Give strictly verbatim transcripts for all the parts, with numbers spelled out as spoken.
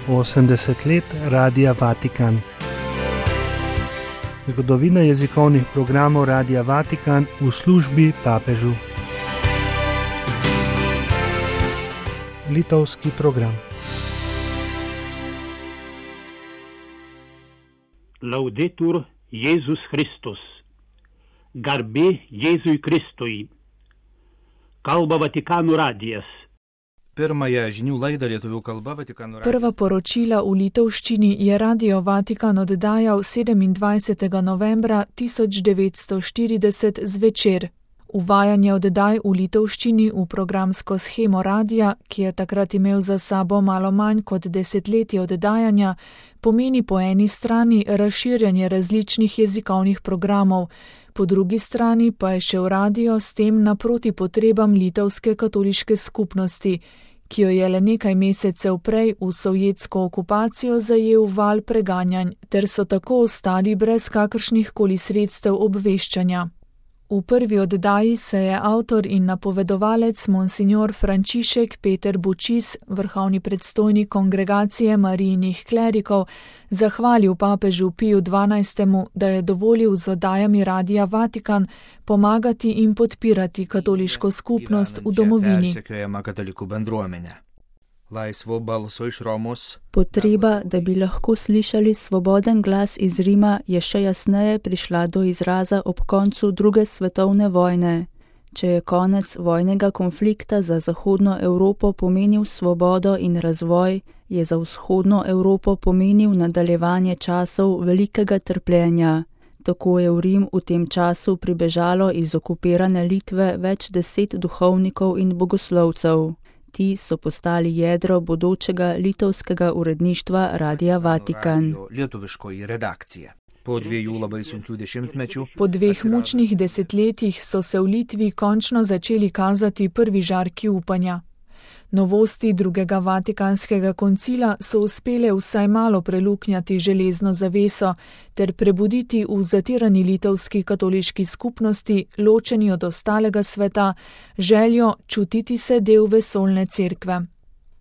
osemdeset let Radia Vatikan. Zgodovina jezikovnih programov Radia Vatikan v službi papežu. Litovski program. Laudetur Jėzus Kristus. Garbė Jėzui Kristui. Kalba Vatikano radijas. Pirmąją žinių laidą lietuvių kalba Vatikano radijas. Prva poročila v litovščini je Radio Vatikan oddajal sedemindvajsetega novembra tisoč devetsto štirideset zvečer. Uvajanje oddaj v litovščini v programsko shemo radija, ki je takrat imel za sabo malo manj kot desetletje oddajanja, pomeni po eni strani razširjanje različnih jezikovnih programov, po drugi strani pa je šel radio s tem naproti potrebam litovske katoliške skupnosti, ki jo je le nekaj mesecev prej v sovjetsko okupacijo zajel val preganjanj, ter so tako ostali brez kakršnih koli sredstev obveščanja. V prvi oddaji se je avtor in napovedovalec monsignor Frančišek Peter Bučis, vrhovni predstojnik kongregacije Marijinih klerikov, zahvalil papežu Piju dvanajstemu, da je dovolil z oddajami Radia Vatikan pomagati in podpirati katoliško skupnost v domovini. Potreba, da bi lahko slišali svoboden glas iz Rima, je še jasneje prišla do izraza ob koncu druge svetovne vojne. Če je konec vojnega konflikta za zahodno Evropo pomenil svobodo in razvoj, je za vzhodno Evropo pomenil nadaljevanje časov velikega trpljenja. Tako je v Rim v tem času pribežalo iz okupirane Litve več deset duhovnikov in bogoslovcev. Ti so postali jedro bodočega litovskega uredništva Radia Vatikan. Po dveh mučnih desetletjih so se v Litvi končno začeli kazati prvi žarki upanja. Novosti drugega Vatikanskega koncila so uspele vsaj malo preluknjati železno zaveso ter prebuditi v zatirani litovski katoliški skupnosti, ločeni od ostalega sveta, željo čutiti se del vesoljne cerkve.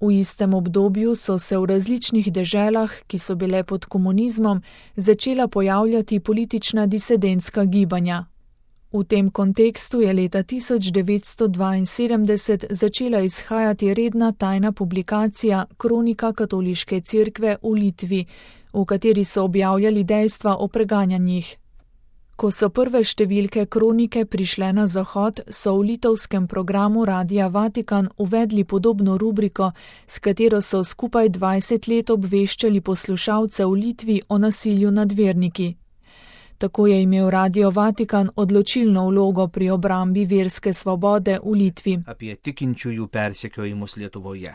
V istem obdobju so se v različnih deželah, ki so bile pod komunizmom, začela pojavljati politična disidentska gibanja. V tem kontekstu je leta tisoč devetsto dvainsedemdeset začela izhajati redna tajna publikacija Kronika katoliške cerkve v Litvi, v kateri so objavljali dejstva o preganjanjih. Ko so prve številke kronike prišle na zahod, so v litovskem programu Radia Vatikan uvedli podobno rubriko, s katero so skupaj dvajset let obveščali poslušalce v Litvi o nasilju nad verniki. Tako je imel Radio Vatikan odločilno vlogo pri obrambi verske svobode v Litvi. Apie tikinčiųjų persekiojimus Lietuvoje.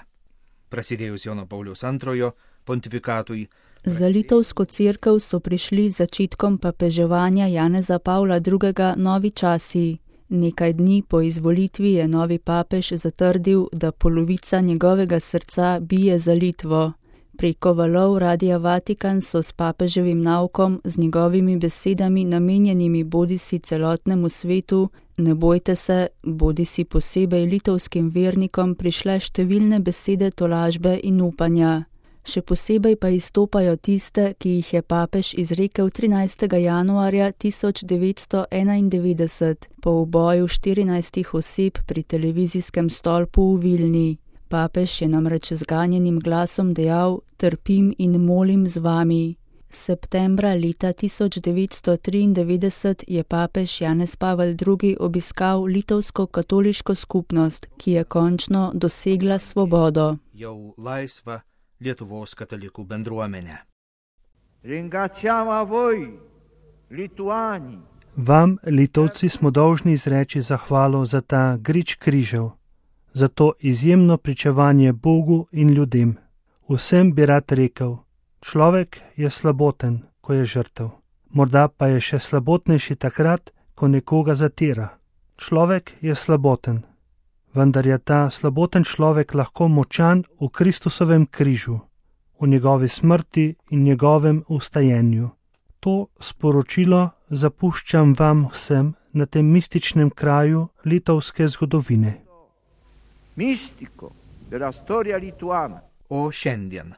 Prasidėjus Jono Pauliaus antrojo pontifikatui. Za litovsko cerkev so prišli začetkom papeževanja Janeza Pavla drugega novi časi. Nekaj dni po izvolitvi je novi papež zatrdil, da polovica njegovega srca bije za Litvo. Preko valov Radia Vatikan so s papeževim naukom, z njegovimi besedami namenjenimi bodisi celotnemu svetu, ne bojte se, bodisi posebej litovskim vernikom prišle številne besede tolažbe in upanja. Še posebej pa izstopajo tiste, ki jih je papež izrekel trinajstega januarja tisoč devetsto enaindevetdeset po uboju štirinajstih oseb pri televizijskem stolpu v Vilni. Papež je namreč z ganjenim glasom dejal: trpim in molim z vami. Septembra leta tisoč devetsto triindevetdeset je papež Janez Pavel drugi obiskal litovsko katoliško skupnost, ki je končno dosegla svobodo. Jau laisva Lietuvos katalikų bendruomenė. Ringraziamo a voi, lituani. Vam, Litovci, smo dolžni izreči zahvalo za ta grič križev, za to izjemno pričevanje Bogu in ljudem. Vsem bi rad rekel, človek je slaboten, ko je žrtev. Morda pa je še slabotnejši takrat, ko nekoga zatira. Človek je slaboten, vendar je ta slaboten človek lahko močan v Kristusovem križu, v njegovi smrti in njegovem vstajenju. To sporočilo zapuščam vam vsem na tem mističnem kraju litovske zgodovine. Mistico della storia lituana. O šiandien,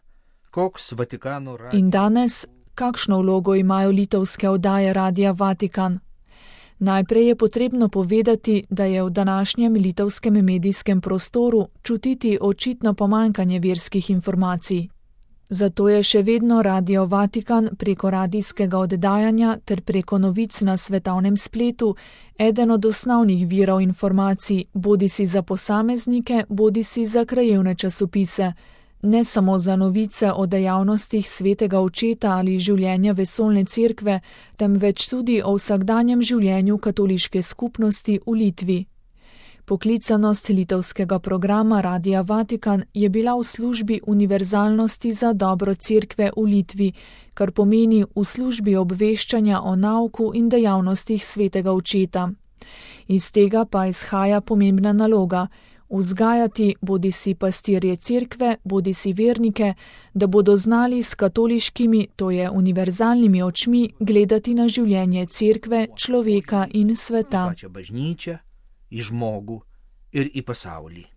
Koks Vatikano radio... In danes, kakšno vlogo imajo litovske oddaje Radia Vatikan? Najprej je potrebno povedati, da je v današnjem litovskem medijskem prostoru čutiti očitno pomanjkanje verskih informacij. Zato je še vedno Radio Vatikan preko radijskega oddajanja ter preko novic na svetovnem spletu eden od osnovnih virov informacij, bodisi za posameznike, bodisi za krajevne časopise, ne samo za novice o dejavnostih svetega očeta ali življenja vesoljne cerkve, temveč tudi o vsakdanjem življenju katoliške skupnosti v Litvi. Poklicanost litovskega programa Radia Vatikan je bila v službi univerzalnosti za dobro cerkve v Litvi, kar pomeni v službi obveščanja o nauku in dejavnostih svetega očeta. Iz tega pa izhaja pomembna naloga: vzgajati bodisi pastirje cerkve, bodisi vernike, da bodo znali s katoliškimi, to je univerzalnimi očmi, gledati na življenje cerkve, človeka in sveta. Pačią bažnyčią, į žmogų ir į pasaulį.